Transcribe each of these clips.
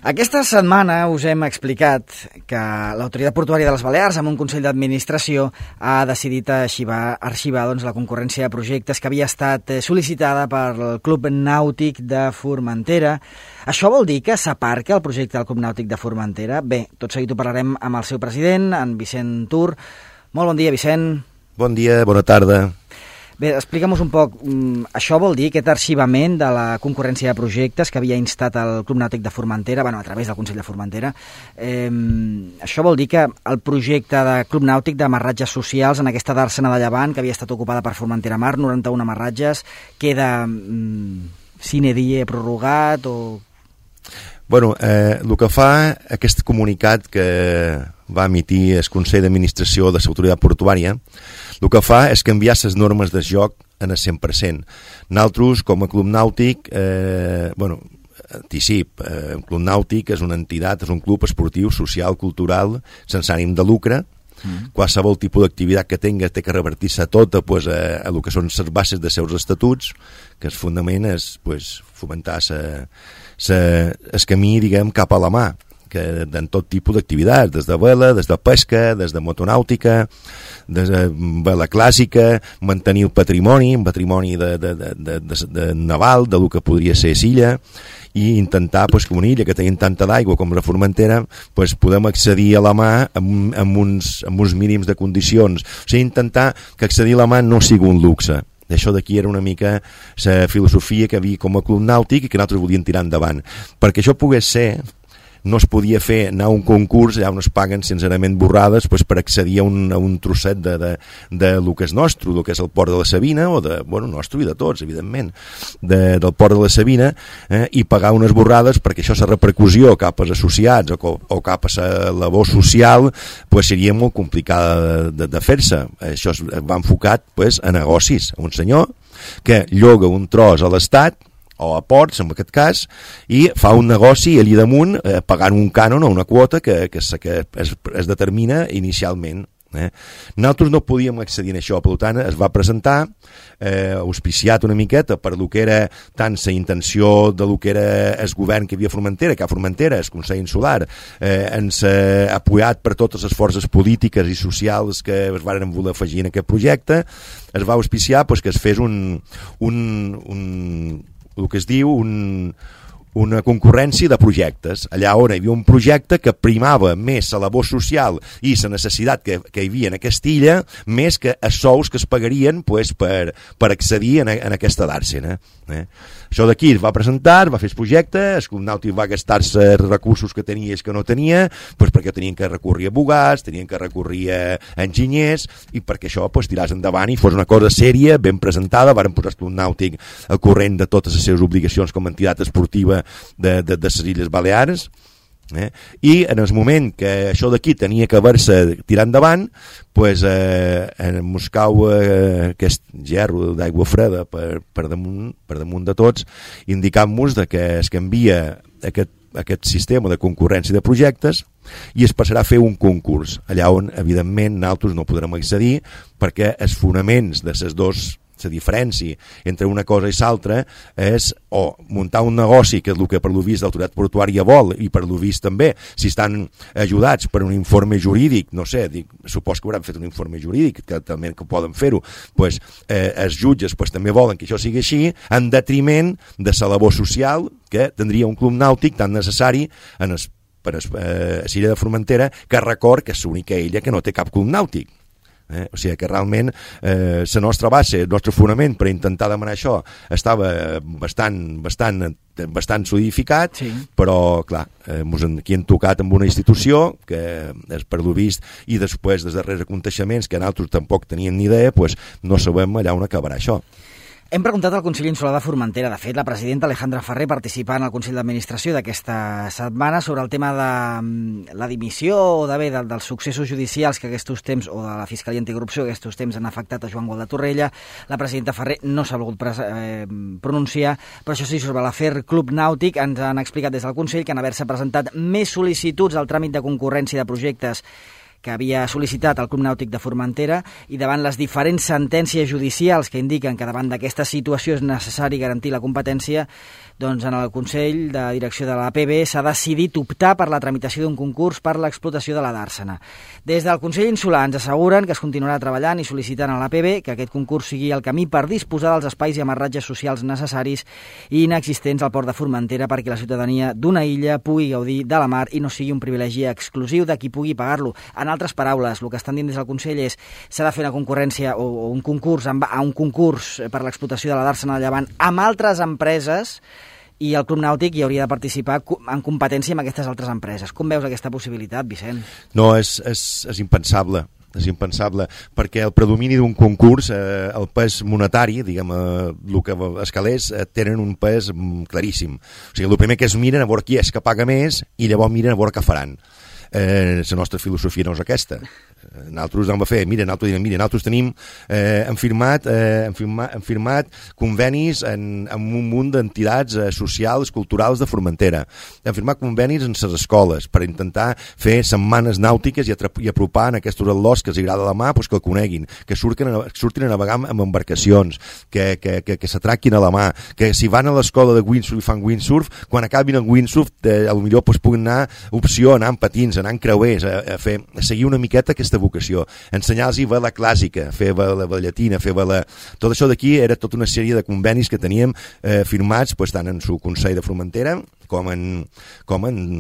Aquesta setmana us hem explicat que l'Autoritat Portuària de les Balears, amb un Consell d'Administració, ha decidit arxivar la concurrència de projectes que havia estat sol·licitada pel Club Nàutic de Formentera. Això vol dir que s'aparca el projecte del Club Nàutic de Formentera? Bé, tot seguit ho parlarem amb el seu president, en Vicent Tur. Molt bon dia, Vicent. Bon dia, bona tarda. Bé, explica'm-nos un poc, això vol dir aquest arxivament de la concurrència de projectes que havia instat el Club Nàutic de Formentera, a través del Consell de Formentera. Això vol dir que el projecte de Club Nàutic d'amarratges socials en aquesta d'Àrsena de Llevant, que havia estat ocupada per Formentera Mar, 91 amarratges, queda sine die prorrogat o... Bueno, el que fa aquest comunicat que va emitir el Consell d'Administració de l'Autoritat Portuària, el que fa és canviar les normes de joc en el 100%. Nosaltres, com a Club Nàutic, anticip, el Club Nàutic és una entitat, és un club esportiu, social, cultural, sense ànim de lucre. Qualsevol tipus d'activitat que tinga té que revertir-se tota a el que són les bases de seus estatuts, que el fonament és fomentar el camí, diguem, cap a la mà, que en tot tipus d'activitats, des de vela, des de pesca, des de motonàutica, des de vela clàssica, mantenir el patrimoni de naval, del que podria ser l'illa, i intentar que una illa que tenim tanta d'aigua com la Formentera podem accedir a la mà amb uns mínims de condicions. O sigui, intentar que accedir a la mà no sigui un luxe. Això d'aquí era una mica la filosofia que havia com a Club Nàutic i que nosaltres volíem tirar endavant. Perquè això pogués ser, no es podia fer anar a un concurs allà on es paguen sincerament borrades per accedir a un trosset de lo que és nostre, el que és el port de la Sabina, o nostre i de tots, evidentment, del port de la Sabina, i pagar unes borrades perquè això, la repercussió cap als associats o cap a la labor social, seria molt complicada de fer-se. Això es va enfocat a negocis. Un senyor que lloga un tros a l'Estat, o a ports, en aquest cas, i fa un negoci allà damunt pagant un cànon o una quota que es determina inicialment. Nosaltres no podíem accedir a això, per tant es va presentar auspiciat una miqueta per lo que era tant la intenció de lo que era el govern que havia a Formentera, que a Formentera, el Consell Insular, ens ha apoyat per totes les forces polítiques i socials que es van voler afegir en aquest projecte. Es va auspiciar que es fes el que es diu una concurrència de projectes, allà on hi havia un projecte que primava més la labor social i la necessitat que hi havia en aquesta illa, més que els sous que es pagarien per accedir en aquesta d'Àrsena. Això d'aquí es va presentar, va fer el projecte, el Club Nàutic va gastar-se els recursos que tenia i els que no tenia, perquè tenien que recórrer a abogats, tenien que recórrer a enginyers, i perquè això tiràs endavant i fos una cosa sèria, ben presentada. Varen posar el Club Nàutic al corrent de totes les seves obligacions com a entitat esportiva de les Illes Balears, i en el moment que això d'aquí tenia que haver-se tirat endavant, ens cau aquest gerro d'aigua freda per damunt de tots, indicant-nos que es canvia aquest sistema de concurrència de projectes i es passarà a fer un concurs, allà on evidentment nosaltres no podrem accedir perquè els fonaments de les dues, la diferència entre una cosa i l'altra és o muntar un negoci, que és el que per lo vist l'autoritat portuària vol, i per lo vist també, si estan ajudats per un informe jurídic, no sé, supos que hauran fet un informe jurídic, que també que poden fer-ho, els jutges també volen que això sigui així, en detriment de la labor social que tindria un club nàutic tan necessari per a l'illa de Formentera, que record que és l'única illa que no té cap club nàutic. O sigui que realment la nostra base, el nostre fonament per intentar demanar això estava bastant solidificat, sí. Però clar, aquí hem tocat amb una institució que és per lo vist, i després dels darrers aconteixements que nosaltres tampoc teníem ni idea, no sabem allà on acabarà això. Hem preguntat al Consell Insular de Formentera, de fet la presidenta Alejandra Ferrer participant al Consell d'Administració d'aquesta setmana sobre el tema de la dimissió o dels successos judicials que aquests temps, o de la Fiscalia Anticorrupció que aquests temps han afectat a Joan Gual de Torrella. La presidenta Ferrer no s'ha volgut pronunciar, però això sí, sobre l'afer Club Nàutic ens han explicat des del Consell que en haver-se presentat més sol·licituds al tràmit de concurrència de projectes que havia sol·licitat el Club Nàutic de Formentera, i davant les diferents sentències judicials que indiquen que davant d'aquesta situació és necessari garantir la competència, doncs en el Consell de Direcció de l'APB s'ha decidit optar per la tramitació d'un concurs per l'explotació de la dàrsena. Des del Consell Insular ens asseguren que es continuarà treballant i sol·licitant a l'APB que aquest concurs sigui el camí per disposar dels espais i amarratges socials necessaris i inexistents al port de Formentera perquè la ciutadania d'una illa pugui gaudir de la mar i no sigui un privilegi exclusiu de qui pugui pagar-lo. En altres paraules, el que estan dient des del Consell és s'ha de fer una concurrència o un concurs per l'explotació de la dàrsena de Llevant amb altres empreses, i el Club Nàutic hi hauria de participar en competència amb aquestes altres empreses. Com veus aquesta possibilitat, Vicent? No, és impensable. És impensable, perquè el predomini d'un concurs, el pes monetari, diguem, el que els calés tenen un pes claríssim. O sigui, el primer que es miren a veure qui és que paga més i llavors miren a veure què faran. La nostra filosofia no és aquesta. Nosaltres vam fer, nosaltres tenim hem firmat convenis amb un munt d'entitats socials, culturals de Formentera. Hem firmat convenis en les escoles per intentar fer setmanes nàutiques i apropar en aquests atlors que els agrada la mà, que el coneguin, que surtin a navegar amb embarcacions, que s'atraquin a la mà, que si van a l'escola de windsurf i fan windsurf, quan acabin el windsurf potser puguin anar opció, anar amb patins, anar en creuers, a seguir una miqueta aquesta vocació, ensenyar-los vela clàssica, fer vela llatina, fer vela... Tot això d'aquí era tota una sèrie de convenis que teníem firmats tant en el Consell de Formentera com en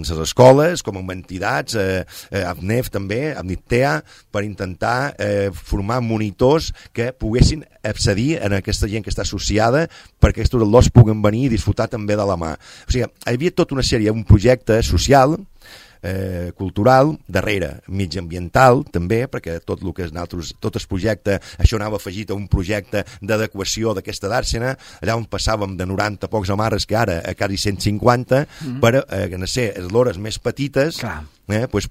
les escoles, com en entitats, AFNEF també, AFNITEA, per intentar formar monitors que poguessin accedir a aquesta gent que està associada perquè aquests atlors puguen venir i disfrutar també de la mà. O sigui, hi havia tota una sèrie, un projecte social, cultural, darrere, mitjanambiental també, perquè tot el que tot el projecte, això anava afegit a un projecte d'adequació d'aquesta dàrsena, allà on passàvem de 90 pocs amarres que ara a quasi 150 per ser eslores més petites,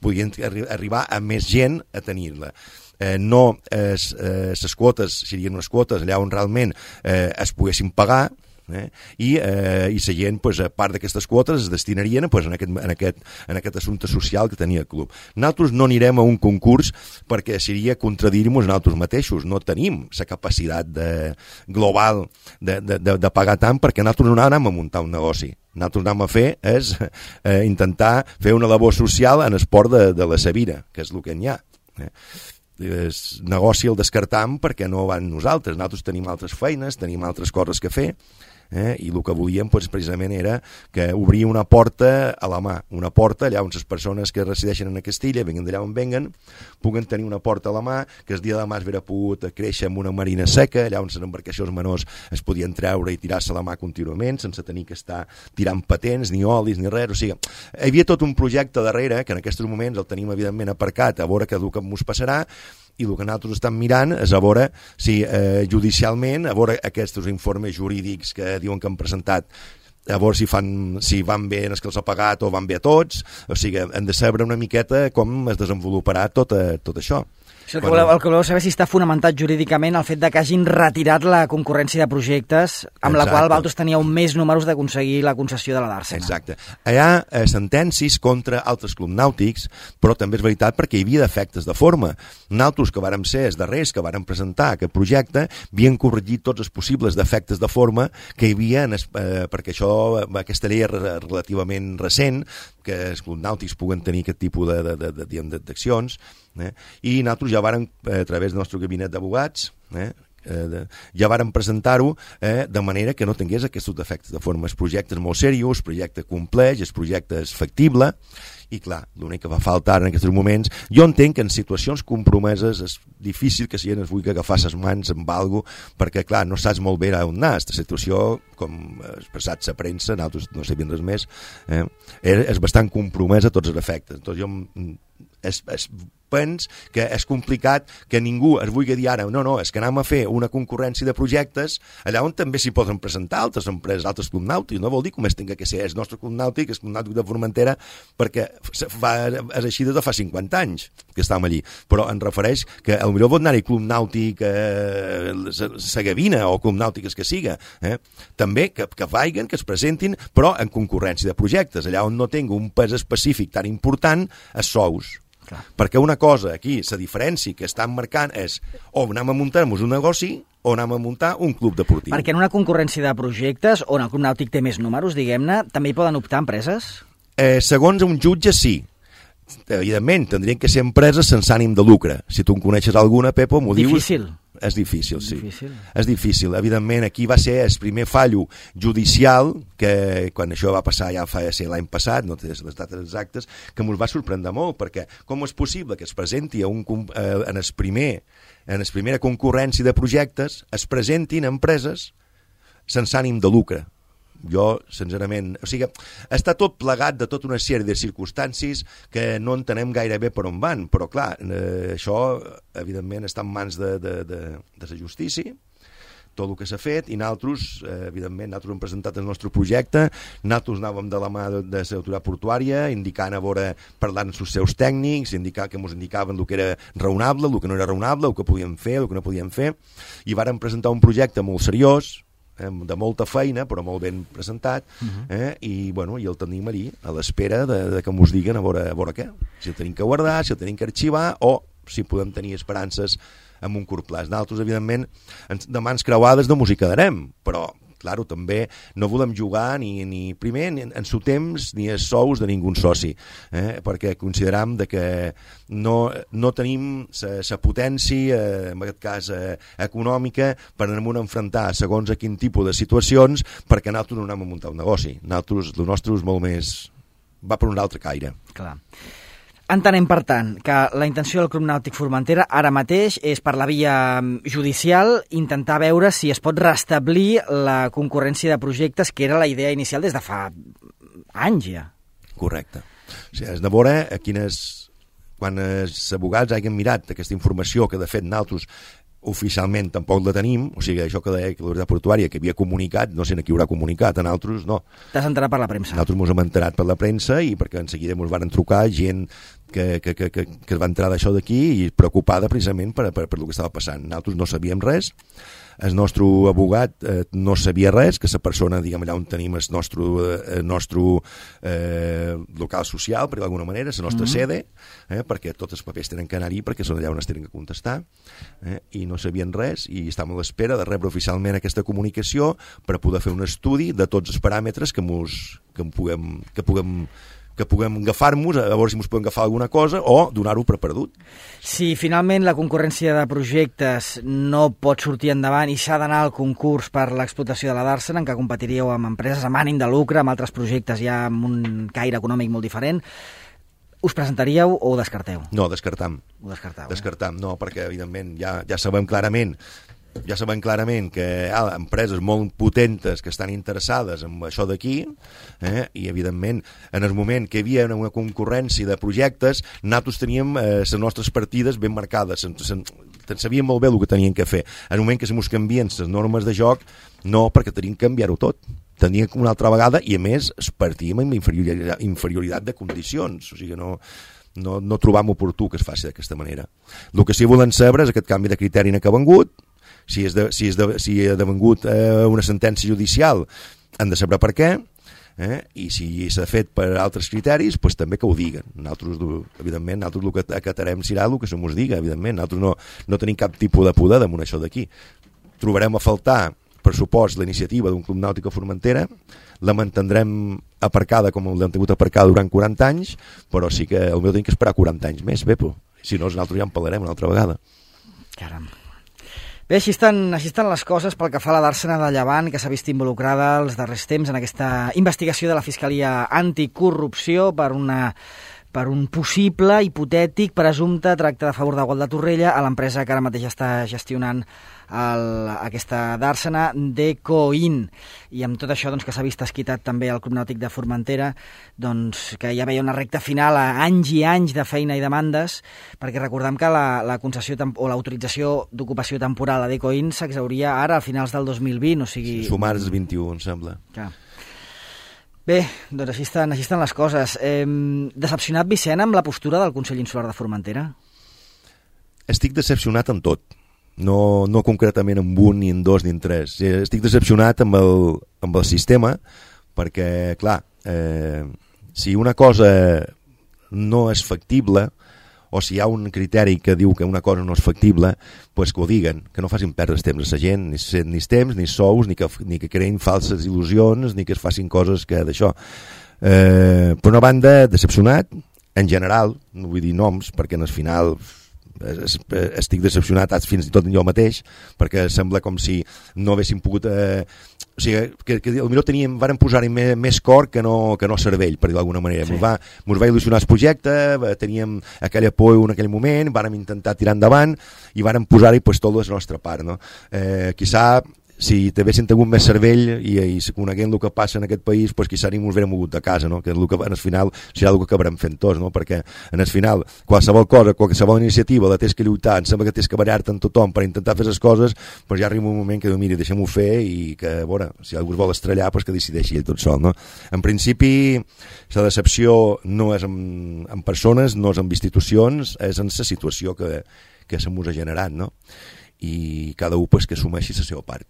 podien arribar a més gent a tenir-la. No les quotes serien unes quotes allà on realment es poguessin pagar, i la gent, a part d'aquestes quotes, es destinarien en aquest assumpte social que tenia el club. Nosaltres no anirem a un concurs perquè seria contradir-nos nosaltres mateixos. No tenim la capacitat global de pagar tant, perquè nosaltres no anem a muntar un negoci. Nosaltres anem a fer és intentar fer una labor social en esport de la Sabira, que és el que hi ha. El negoci el descartam perquè no van nosaltres. Nosaltres tenim altres feines, tenim altres coses que fer, i el que volíem precisament era que obrir una porta a la mà, una porta allà on les persones que resideixen a Castilla, venguen d'allà on venguen, puguen tenir una porta a la mà, que el dia de demà es vera pogut créixer amb una marina seca, allà on les embarcacions menors es podien treure i tirar-se a la mà contínuament, sense tenir que estar tirant patents, ni olis, ni res. O sigui, hi havia tot un projecte darrere, que en aquests moments el tenim evidentment aparcat, a veure què el que ens passarà, i el que nosaltres estem mirant és a veure si judicialment, a veure aquests informes jurídics que diuen que han presentat, a veure si van bé els que els ha pagat o van bé a tots. O sigui, hem de saber una miqueta com es desenvoluparà tot això. El que voleu saber si està fonamentat jurídicament el fet de que hagin retirat la concurrència de projectes amb la qual vosaltres teníeu més números d'aconseguir la concessió de la dàrsena. Exacte. Hi ha sentències contra altres clubs nàutics, però també és veritat perquè hi havia defectes de forma. Nosaltres, que vàrem ser els darrers que vàrem presentar aquest projecte, havien corregit tots els possibles defectes de forma que hi havia, perquè aquesta llei és relativament recent, que els clubs nàutics puguen tenir aquest tipus d'accions, i nosaltres ja vàrem, a través del nostre gabinet d'abogats, ja vàrem presentar-ho de manera que no tingués aquests defectes de forma. El projecte és molt seriós, el projecte compleix, el projecte és factible, i clar, l'únic que va faltar en aquests moments, jo entenc que en situacions compromeses és difícil que si gent es vulgui agafar les mans amb alguna cosa, perquè clar, no saps molt bé on anar. Aquesta situació, com ha expressat la premsa, nosaltres no sabíem res més, és bastant compromesa a tots els efectes. Entonces jo penso que és complicat que ningú es vulgui dir ara, no, és que anem a fer una concurrència de projectes allà on també s'hi poden presentar altres empreses, altres clubs nàutics. No vol dir que només tinga que ser el nostre club nàutic, el club nàutic de Formentera, perquè és així des de fa 50 anys que estàvem allí, però em refereix que potser pot anar-hi club nàutic la Gavina o club nàutic que siga, també que vagin, que es presentin, però en concurrència de projectes, allà on no tingui un pes específic tan important, els sous. Clar. Perquè una cosa aquí, la diferència que estan marcant és o anem a muntar-nos un negoci o anem a muntar un club deportiu. Perquè en una concurrència de projectes, on el Club Nàutic té més números, diguem-ne, també hi poden optar empreses? Segons un jutge, sí. Evidentment, tindrien que ser empreses sense ànim de lucre. Si tu en coneixes alguna, Pepo, m'ho dius... Difícil. És difícil, sí. Difícil. És difícil. Evidentment, aquí va ser el primer fallo judicial, que quan això va passar ja fa ser l'any passat, no té les dates exactes, que ens va sorprendre molt, perquè com és possible que es presenti en la primera concurrència de projectes, es presentin empreses sense ànim de lucre? Jo, sincerament... O sigui, està tot plegat de tota una sèrie de circumstàncies que no entenem gaire bé per on van, però clar, això, evidentment, està en mans de la justícia, tot el que s'ha fet, i nosaltres, evidentment, nosaltres hem presentat el nostre projecte, nosaltres anàvem de la mà de l'autoritat portuària, indicant a veure, parlant amb els seus tècnics, que ens indicaven el que era raonable, el que no era raonable, el que podíem fer, el que no podíem fer, i vàrem presentar un projecte molt seriós, de molta feina, però molt ben presentat, i el tenim allí, a l'espera de que ens diguen a veure què. Si el tenim que guardar, si el tenim que arxivar, o si podem tenir esperances en un curt plaç. Nosaltres, evidentment, de mans creuades no ens hi quedarem, però claro, també no volem jugar ni primer ni en seu temps ni els sous de ningú soci, perquè consideram que no tenim la potència, en aquest cas econòmica, per anar a enfrontar segons a quin tipus de situacions, perquè nosaltres no anem a muntar un negoci. Nosaltres, el nostre és molt més... va per un altre caire. Clar. Entenem, per tant, que la intenció del Club Nàutic Formentera ara mateix és, per la via judicial, intentar veure si es pot restablir la concurrència de projectes, que era la idea inicial des de fa anys ja. Correcte. O sigui, és de veure quan els abogats hagin mirat aquesta informació que, de fet, nosaltres oficialment tampoc la tenim, o sigui, això que deia que l'autoritat portuària que havia comunicat, no sé a qui haurà comunicat, a nosaltres no. T'has enterat per la premsa? Nosaltres ens hem enterat per la premsa i perquè en seguida ens van trucar gent que va entrar d'això d'aquí i preocupada precisament per el que estava passant. Nosaltres no sabíem res, el nostre abogat no sabia res, que la persona, diguem, allà on tenim el nostre local social, per d'alguna manera, la nostra sede, perquè tots els papers tenen que anar-hi perquè són allà on es tenen que contestar, i no sabien res, i estàvem a l'espera de rebre oficialment aquesta comunicació per poder fer un estudi de tots els paràmetres que puguem agafar-nos, a veure si ens podem agafar alguna cosa o donar-ho per perdut. Si finalment la concurrència de projectes no pot sortir endavant i s'ha d'anar al concurs per l'explotació de la Dàrsena, en què competiríeu amb empreses amb ànim de lucre, amb altres projectes ja amb un caire econòmic molt diferent, us presentaríeu o ho descarteu? No, descartam. Ho descarteu, Descartam, no, perquè evidentment ja sabem clarament que hi ha empreses molt potentes que estan interessades en això d'aquí, i evidentment en el moment que hi havia una concurrència de projectes, nosaltres teníem les nostres partides ben marcades, sabíem molt bé el que teníem que fer. En el moment que se mos canvien les normes de joc, no, perquè teníem que canviar-ho tot. Teníem una altra vegada, i a més partíem amb inferioritat de condicions, o sigui, no trobam oportú que es faci d'aquesta manera. El que sí volen saber és aquest canvi de criteri que ha vengut, si ha devengut una sentència judicial, han de saber per què, i si s'ha fet per altres criteris, doncs també que ho diguen. Nosaltres, evidentment, el que acatarem serà el que se mos diga, evidentment. Nosaltres no tenim cap tipus de poder damunt això d'aquí. Trobarem a faltar, per supost, la iniciativa d'un Club Nàutic a Formentera, la mantindrem aparcada com l'hem tingut aparcada durant 40 anys, però sí que potser tenim que esperar 40 anys més, Bepo. Si no, nosaltres ja en parlarem una altra vegada. Caram. Bé, així estan les coses pel que fa a la Dàrsena de Llevant, que s'ha vist involucrada els darrers temps en aquesta investigació de la Fiscalia Anticorrupció per un possible, hipotètic, presumpte tracte de favor de Gualda Torrella a l'empresa que ara mateix està gestionant aquesta Dàrsena, Decoin. I amb tot això que s'ha vist esquitat també el Club Nàutic de Formentera, que ja veia una recta final a anys i anys de feina i demandes, perquè recordem que la concessió o l'autorització d'ocupació temporal a Decoin s'exhauria ara a finals del 2020, o sigui... Sumar els 21, em sembla. Clar. Bé, doncs així estan les coses. Decepcionat, Vicent, amb la postura del Consell Insular de Formentera? Estic decepcionat en tot. No concretament en un, ni en dos, ni en tres. Estic decepcionat amb el sistema, perquè, clar, si una cosa no és factible o si hi ha un criteri que diu que una cosa no és factible, pues que ho diguen, que no facin perdre temps a la gent, ni temps, ni sous, ni que creïn falses il·lusions, ni que es facin coses que d'això. Per una banda, decepcionat, en general, no vull dir noms, perquè al final estic decepcionat fins i tot jo mateix, perquè sembla com si no haguéssim pogut... o sigui, que potser vàrem posar-hi més cor que no cervell, per dir d'alguna manera. Sí. Mos va il·lusionar el projecte, teníem aquella por en aquell moment, vàrem intentar tirar endavant i vàrem posar-hi pues, tot la nostra part. No? Quizà si t'haguessin tingut més cervell i coneguent el que passa en aquest país, pues, quizà ni mos haguérem mogut de casa, no? Que el que al final serà el que acabarem fent tots, no? Perquè en el final qualsevol cosa, qualsevol iniciativa la tens que lluitar, em sembla que tens que barallar-te amb tothom per intentar fer les coses, pues ja arriba un moment que diu, mira, deixem-ho fer i que, a veure, si algú es vol estrellar, pues que decideixi ell tot sol, no? En principi, la decepció no és en persones, no és en institucions, és en la situació que se mos ha generat, no? I cada un pues, que assumeixi la seva part.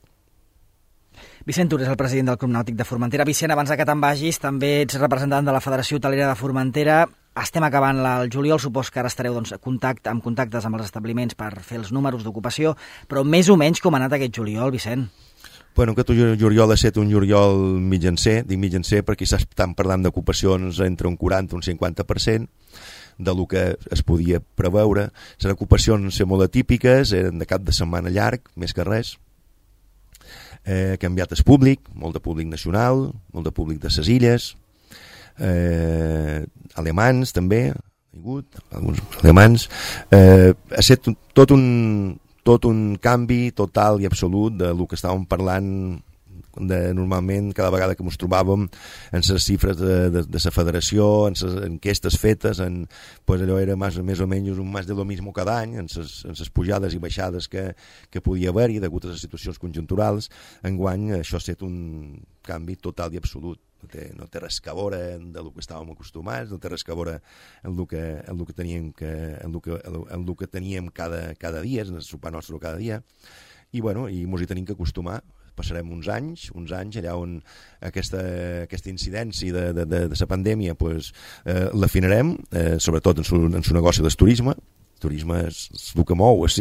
Vicent Tura és el president del Club Nàutic de Formentera. Vicent, abans que te'n vagis, també ets representant de la Federació Hotelera de Formentera. Estem acabant el juliol, supos que ara estareu doncs, en contactes amb els establiments per fer els números d'ocupació, però més o menys com ha anat aquest juliol, Vicent? Bueno, aquest juliol ha estat un juliol mitjancer, dic mitjancer perquè s'estan parlant d'ocupacions entre un 40 i un 50%, del que es podia preveure. Les ocupacions molt atípiques, eren de cap de setmana llarg, més que res. Canviat el públic, molt de públic nacional, molt de públic de les illes, alemans també, alguns alemans. Ha estat tot un canvi total i absolut de lo que estàvem parlant normalment cada vegada que ens trobàvem en les xifres de la federació, en les enquestes fetes, pues allò era més o menys un més de lo mismo cada any, en les pujades i baixades que podia haver-hi degut a les situacions conjunturals. Enguany això ha estat un canvi total i absolut. No té res a veure del que estàvem acostumats, no té res a veure en el que teníem cada dia, en el sopar nostre cada dia, i mos hi tenim que acostumar. Passarem uns anys allà on aquesta incidència de la pandèmia pues, l'afinarem, sobretot en el negoci del turisme. El turisme és el que mou, els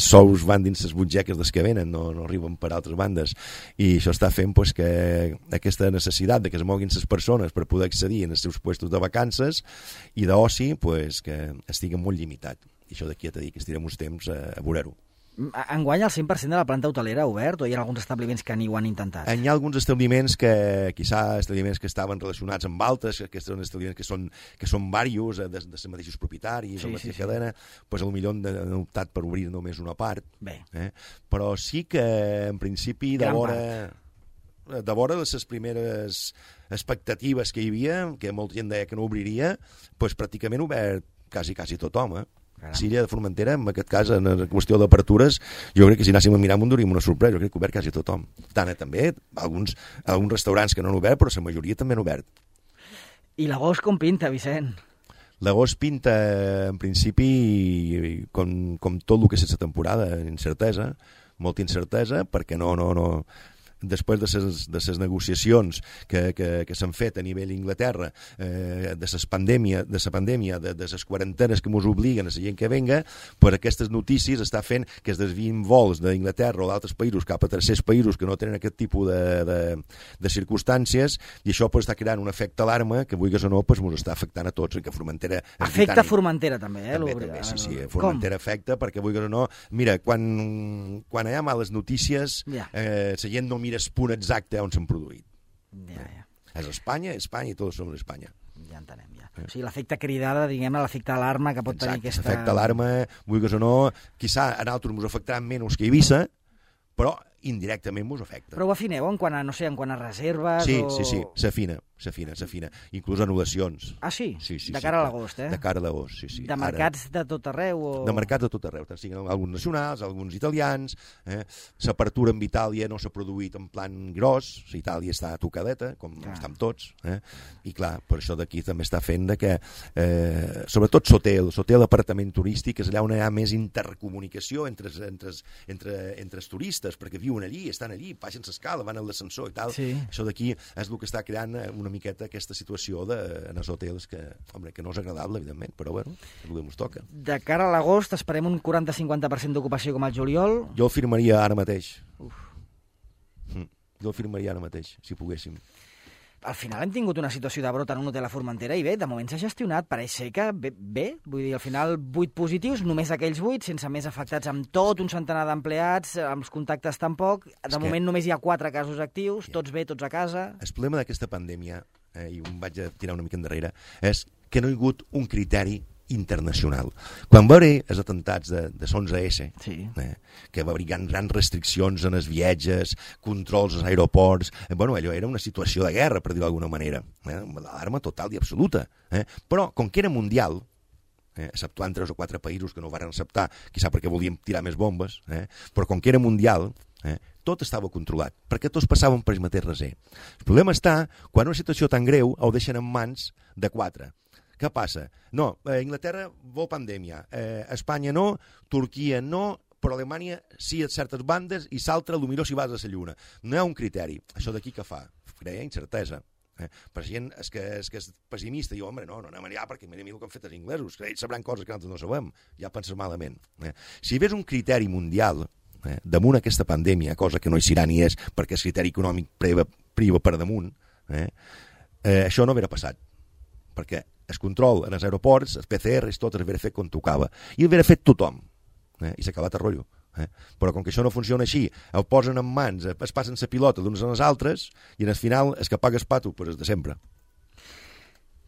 sous van dins les butxaques dels que venen, no arriben per altres bandes, i això està fent pues, que aquesta necessitat de que es moguin les persones per poder accedir en els seus puestos de vacances i d'oci pues, que estigui molt limitat. I això d'aquí a dir que estirem uns temps a veure-ho. Enguany el 100% de la planta hotelera ha obert o hi ha alguns establiments que ni ho han intentat? Hi ha alguns establiments establiments que estaven relacionats amb altres, que són establiments que són diversos, de els mateixos propietaris, o la mateixa cadena, pues potser han optat per obrir només una part. Però sí que en principi de vora les primeres expectatives que hi havia, que molta gent deia que no obriria, pues pràcticament obert quasi tothom, L'illa de Formentera, en aquest cas, en la qüestió d'apertures, jo crec que si anéssim a mirar m'ho duríem una sorpresa, jo crec que obert quasi tothom. Tant també, alguns restaurants que no han obert, però la majoria també han obert. I l'agost com pinta, Vicent? L'agost pinta, en principi, com tot el que és la temporada, incertesa, molta incertesa, perquè no després de les negociacions que s'han fet a nivell Inglaterra, de la pandèmia, de les quarantenes que ens obliguen a la gent que venga, pues aquestes notícies està fent que es desvien vols d'Inglaterra o d'altres països cap a tercers països que no tenen aquest tipus de circumstàncies, i això pues, està creant un efecte alarma que, vulguis o no, pues, ens està afectant a tots, i que Formentera... Afecta Formentera també, També, sí, Formentera afecta, perquè, vulguis o no, mira, quan hi ha males notícies, la gent no mira el punt exacte on s'han produït. És Espanya i tots som d'Espanya. Ja entenem, ja. O sigui, l'efecte cridada, diguem-ne, l'efecte alarma que pot tenir aquesta... Exacte, l'efecte alarma, vulguis o no, quizà a nosaltres ens afectarà menys que Eivissa, però indirectament ens afecta. Però ho afineu en quant a reserves? Sí, s'afina. Inclús anul·lacions. Ah, sí? De cara a l'agost, De cara a l'agost, sí. De mercats de tot arreu? De mercats de tot arreu, tant siguin alguns nacionals, alguns italians. L'apertura amb Itàlia no s'ha produït en plan gros, Itàlia està tocadeta, com estem tots, i clar, per això d'aquí també està fent que, sobretot l'hotel d'apartament turístic, és allà on hi ha més intercomunicació entre els turistes, perquè viuen allí, estan allí, baixen l'escala, van a l'ascensor i tal. Sí. Això d'aquí és el que està creant una miqueta aquesta situació en els hotels que, home, que no és agradable, evidentment, però bueno, és el que ens toca. De cara a l'agost esperem un 40-50% d'ocupació com al juliol. Jo el firmaria ara mateix. Jo el firmaria ara mateix, si poguéssim. Al final hem tingut una situació de brot en un hotel a Formentera i bé, de moment s'ha gestionat, pareix ser que bé, vull dir, al final 8 positius, només aquells 8, sense més afectats amb tot un centenar d'empleats, amb els contactes tampoc, de moment només hi ha 4 casos actius, tots bé, tots a casa. El problema d'aquesta pandèmia, i em vaig a tirar una mica endarrere, és que no hi ha hagut un criteri internacional. Quan va haver els atemptats de 11S, sí. Que va haver grans restriccions en els viatges, controls als aeroports, bueno, allò era una situació de guerra, per dir-ho d'alguna manera, l'alarma total i absoluta. Però, com que era mundial, exceptuant 3 o 4 països que no ho van acceptar, quizà perquè volíem tirar més bombes, però com que era mundial, tot estava controlat, perquè tots passaven per el mateix raser. El problema està quan una situació tan greu ho deixen en mans de 4. Què passa? No, Inglaterra vol pandèmia, Espanya no, Turquia no, però Alemanya sí a certes bandes i s'altra potser si vas a la lluna. No hi ha un criteri. Això d'aquí què fa? Crea incertesa. Per gent és que és pessimista, diu, home, no anem allà perquè mira el que han fet els inglesos, que ells sabran coses que nosaltres no sabem, ja penses malament. Si hi hagués un criteri mundial damunt aquesta pandèmia, cosa que no hi serà ni és perquè el criteri econòmic priva per damunt, això no hauria passat, perquè el control en els aeroports, els PCRs, tot l'havia fet com tocava. I l'havia fet tothom. I s'ha acabat el rotllo. Però com que això no funciona així, el posen en mans, es passen la pilota d'uns a les altres, i al final el que paga el pato és de sempre.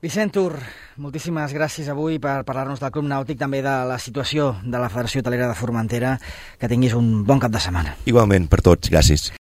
Vicent Tur, moltíssimes gràcies avui per parlar-nos del Club Nàutic, també de la situació de la Federació Hotelera de Formentera. Que tinguis un bon cap de setmana. Igualment, per tots. Gràcies.